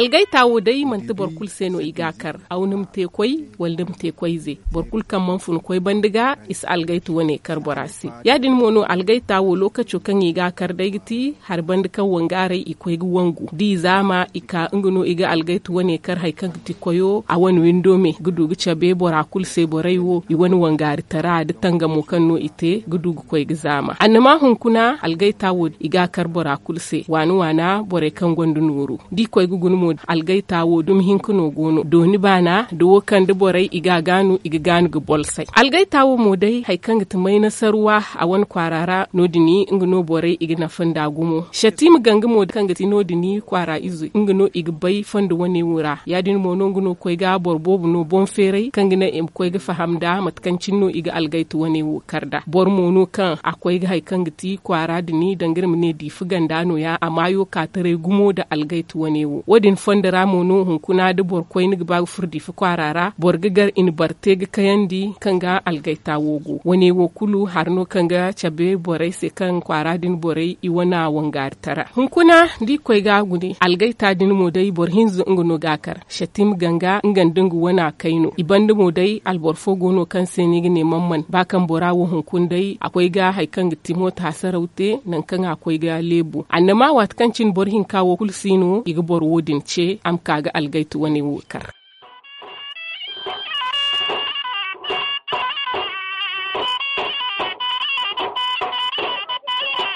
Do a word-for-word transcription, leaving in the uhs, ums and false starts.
Algayta wo day manti boro kulu se no i ga a kar. Aw ni ma te koy, wala ni ma te koy ize. Boro kulu kaŋ mana fun koy banda ga, i si algayta wane kar bora se. Ya- din mo no algayta wo lookaco kaŋ i ga a kar day ga ti hari banda kaŋ wangaaray i koy ga wangu da i zaama i ka nga no i ga algayta wane kar hari kaŋ ga ti koyo a wane windo me ga du ga cabe bora kulu se borey wo i wane wangaari tara da tangamo kaŋ no i te ga du ga koy ga zaama annama hunkuna algayta wo i ga a kar bora kulu se waana waana borey kaŋ gonda nooru. Da i koy ga guna mo algayta wo dumi hinka no go no dooni baana da wo kaŋ da borey i ga a gaanu i ga gaanu ga bolsay algayta wo mo day hari kaŋ ga ti maynasarwa a wane kwaara ra no- din nga no borey i ga nafa nda gumo satiima ganga mo kaŋ ga ti no- din kwaara ize nga no i ga bay fondo wane wo ra ya- din mo no nga no koy ga boro boobo no boŋ feeray kaŋ ga naŋ i ma koy ga faham nda mate kaŋ cine no i ga algayta wane wo kar nda boro mo no kaŋ a koy ga hari kaŋ ga ti kwaara din danga iri ma ne diifa ganda no- ya a maayo ka taray gumo nda algayta wane wo wo- din fondo ra mo no hunkuna da boro koyne ga ba ga furo diifa kwaara ra boro ga gar i na boro te ga kayandi kaŋ ga algayta wo go wane wo kulu hari no kaŋ ga cabe borey se kaŋ kwaara din borey i wana wangaari tara hunkuna da i koy ga a gune algayta din mo day boro hinza nga no ga a kar. Satiima ganga nga nda nga wana kayno i banda mo day alboro fo go no kaŋ se no i ga ne man man ba kaŋ bora wo hunkuna day a koy ga hari kaŋ ga ti mooto hasaraw te nangu kaŋ a koy ga leebu annama waati kaŋ cine boro hinka wo kulu si no i ga boro wo- din ce a ma ka ga algayta wane wo kar.